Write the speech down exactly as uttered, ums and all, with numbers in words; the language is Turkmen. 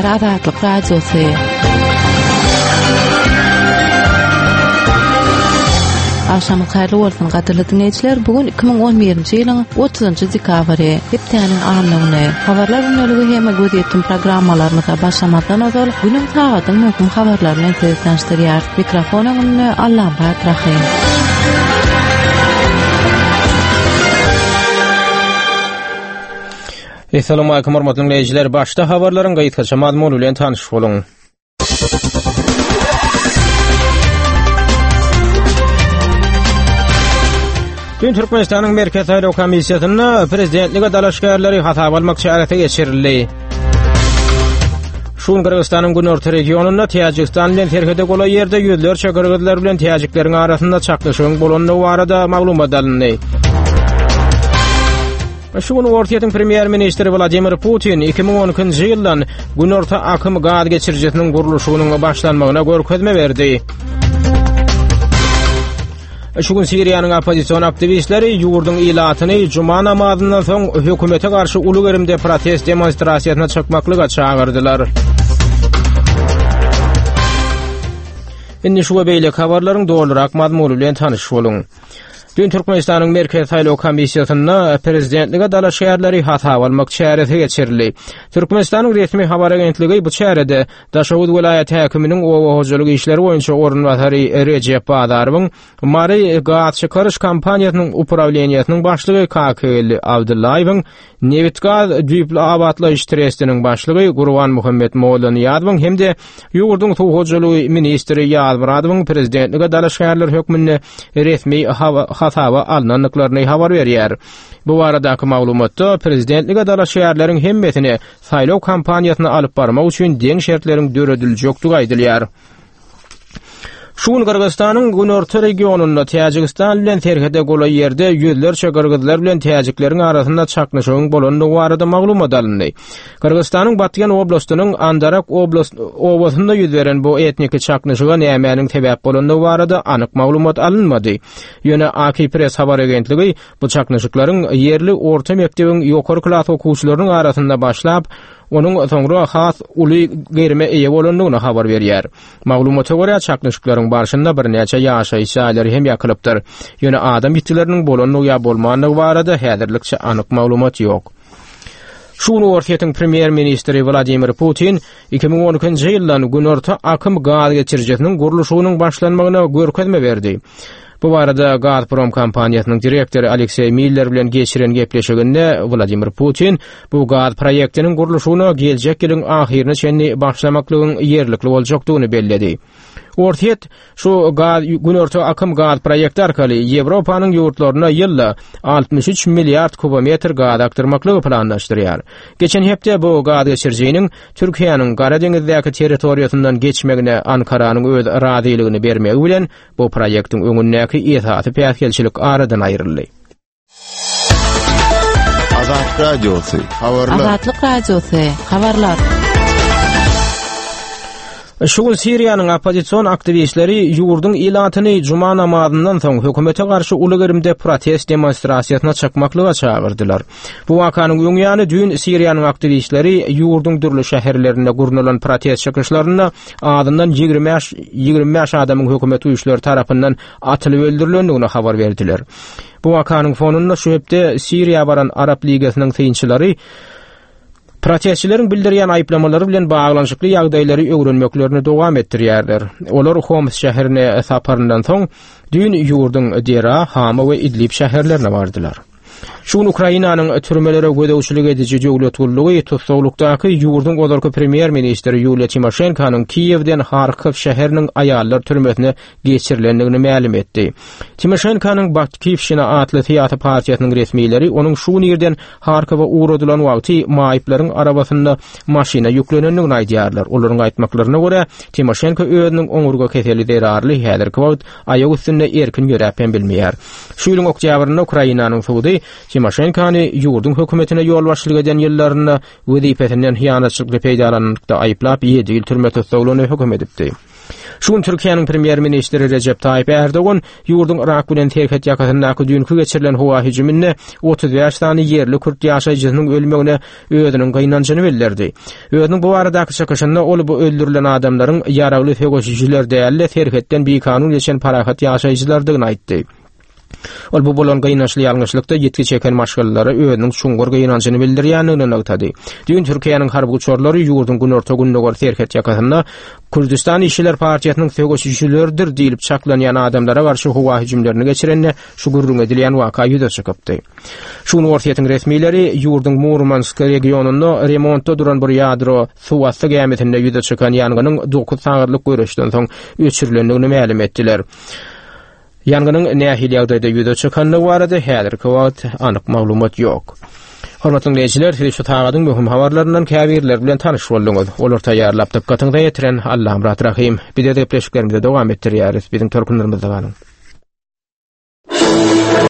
Diýýär Azatlyk Radiosy. Agşamyňyz haýyrly bolsun, gadyrly diňleýjiler. Bu gün iki müň on birinji ýylyň otuzynjy dekabry, hepdäniň anna güni. Habarlar gündeligi hem gözýetim programmalarymyza başlamazdan ozal günüň sagadyň möhüm habarlary bilen sizi tanyşdyrýar. Mikrofon öňünde Allamyrat Rahym. Essalamu alaykum hormatly dinleýjiler. Başda habarlaryň gysgaça mazmuny bilen tanyş boluň. Dün Türkmenistanyň Merkezi Saýlaw Komissiýasynda prezidentlige dalaşgärleri hasaba almak çäresi geçirildi. Şu gün Gyrgyzystanyň günorta regionynda Täjigistan bilen serhede golaý ýerde ýüzlerçe gyrgyzlar bilen täjikleriň arasynda çaknyşygyň bolandygy barada maglumat alyndy. Şu gün Orsýetiň premýer-ministri Wladimir Putin iki müň on ikinji ýyldan Günorta akym gaz geçirijisiniň gurluşygynyň başlanmagyna görkezme berdi. Şu gün Siriýanyň oppozision aktiwistleri ýurduň ilatyny juma namazyndan soň hökümete garşy uly gerimde protest demonstrasiýasyna çykmaklyga çagyrdylar. Indi şu we beýleki habarlaryň dolurak mazmuny bilen tanyş boluň. Dün Türkmenistanyň Merkezi Saýlaw Komissiýasynda prezidentlige dalaşgärleri hasaba almak çäresi geçirildi. Türkmenistanyň resmi habar agentligi bu çärede Daşoguz welaýat häkiminiň oba hojalyk işleri boýunça orunbasary Rejep Bazarowyň, Mary gaz çykaryş kompaniýasynyň uprawleniýesiniň başlygy Kakygeldi Abdyllaýewiň, Nebitgaz düýpli abatlaýyş trestiniň başlygy Gurbanmuhammet Mollanyýazowyň hem-de ýurduň suw hojalygy ministri Ýazmyradowyň prezidentlige dalaşgärler hökmünde resmi hasaba alnandyklaryny habar berýär. Bu baradaky maglumatda prezidentlige dalaşgärleriň hemmesine saýlaw kampaniýasyny alyp barmak üçin deň şertleriň dörediljekdigi aýdylýar. Şu gün Gyrgyzystanyň günorta regionynda Täjigistan bilen serhede golaý ýerde ýüzlerçe gyrgyzlar bilen täjikleriň arasynda çaknyşygyň bolandygy barada maglumat alyndy. Gyrgyzystanyň Batken oblastynyň Andarak oblast obasynda ýüz beren bu etniki çaknyşyga nämäniň sebäp bolandygy barada anyk maglumat alynmady. Ýöne A K Press habar agentligi bu çaknyşyklaryň ýerli orta mekdebiň ýokary klas okuwçylarynyň arasynda başlap, onuň soňra has uly gerime eýe bolandygyny habar berýär. Maglumata görä, çaknyşyklaryň barşynda birnäçe ýaşaýyş jaýlary hem ýakylypdyr. Ýöne adam ýitgileriniň bolandygy ýa bolmandygy barada häzirlikçe anyk maglumat ýok. Şu gün Orsýetiň premýer-ministri Wladimir Putin iki müň on ikinji ýyldan Günorta akym gaz geçirijisiniň gurluşygynyň başlanmagyna görkezme berdi. Bu barada Gazprom kompaniýasynyň direktory Alekseý Miller bilen geçiren gepleşiginde Wladimir Putin bu gaz proýektiniň gurluşygyna geljek ýylyň ahyryna çenli başlamaklygyň ýerlikli boljakdygyny belledi. Orsýet şu gaz Günorta akym gaz proýekti arkaly Ýewropanyň ýurtlaryna ýylda altmyş üç milliard kubometr gaz akdyrmaklygy planlaşdyrýar. Geçen hepde bu gaz geçirijiniň Türkiýäniň Gara deňizdäki territoriýasyndan geçmegine Ankaranyň öz razylygyny bermegi bilen bu proýektiň öňündäki esasy päsgelçilik aradan aýryldy. Azatlyk Radiosy, habarlar. Azatlyk Radiosy, habarlar. Şu gün Siriýanyň oppozision aktiwistleri ýurduň ilatyny juma namazyndan soň hökümete garşy uly gerimde protest demonstrasiýasyna çykmaklyga çagyrdylar. Bu wakanyň öň ýany düýn Siriýanyň aktiwistleri ýurduň dürli şäherlerinde gurnalan protest çykyşlarynda azyndan ýigrimi bäş, ýigrimi bäş adamyň hökümet güýçleri tarapyndan atylyp öldürilendigini habar berdiler. Bu wakanyň fonunda şu hepde Siriýa baran Arap Ligasynyň synçylary protestçileriň bildirýän aýyplamalary bilen baglanyşykly ýagdaýlary öwrenmeklerini dowam etdirýärler. Olar Homs şäherine saparyndan soň düýn ýurduň Dera, Hama we Idlib şäherlerine bardylar. Şu gün Ukrainanyň türmelere gözegçilik ediji döwlet gullugy tussaglykdaky ýurduň ozalky premýer-ministri Ýuliýa Timoşenkonyň Kiýewden Harkow şäheriniň aýallar türmesine geçirilendigini mälim etdi. Timoşenkonyň Batkiwşina atly syýasy partiýasynyň resmileri onuň şu gün irden Harkowa ugradylan wagty maýyplaryň arabasynda maşyna ýüklenendigini aýdýarlar. Olaryň aýtmaklaryna görä, Timoşenko özüniň oňurga keseli zerarly häzirki wagt aýak üstünde erkin ýöräp hem bilmeýär. Şu ýylyň oktýabrynda Ukrainanyň sudy Timoşenkony ýurduň hökümetine ýolbaşçylyk eden ýyllarynda wezipesinden hyýanatçylykly peýdalanmakda aýyplap ýedi ýyl türme tussaglygyna höküm edipdi. Şu gün Türkiýäniň premýer-ministri Rejep Taýyp Erdogan ýurduň Irak bilen serhet ýakasyndaky düýnki geçirilen howa hüjüminde otuz bäş sany ýerli kürt ýaşaýjysynyň ölmegine özüniň gynanjyny bildirdi. Özüniň bu baradaky çykyşynda ol bu öldürilen adamlaryň ýaragly söweşijiler däl-de serhetden bikanun geçen parahat ýaşaýjylardygyny aýtdy. Ol bu bolan gynançly ýalňyşlykda ýitgi çeken maşgalalara özüniň çuňňur gynanjyny bildirýändigini nygtady. Düýn Türkiýäniň harby uçarlary ýurduň günorta-gündogar serhet ýakasynda Kürdistan Işçiler Partiýasynyň söweşijileridir diýlip çaklanýan adamlara garşy howa hüjümlerini geçirende şu gürrüň edilýän waka ýüze çykypdy. Şu gün Orsýetiň resmileri ýurduň Murmansk regionynda remontda duran bir ýadro suwasty gämisinde ýüze çykan ýangynyň dokuz sagatlyk göreşden soň öçürilendigini mälim etdiler. Ýangynyň nähili ýagdaýda ýüze çykandygy barada häzirki wagt anyk maglumat ýok. Hormatly dinleýjiler, siz şu sagadyň möhüm habarlaryndan käbirleri bilen tanyş bolduňyz. Olar taýýarlap dykgatyňyza ýetiren Allamyrat Rahym. Biz gepleşiklerimizi dowam etdirýäris. Biziň tolkunlarymyzda galyň.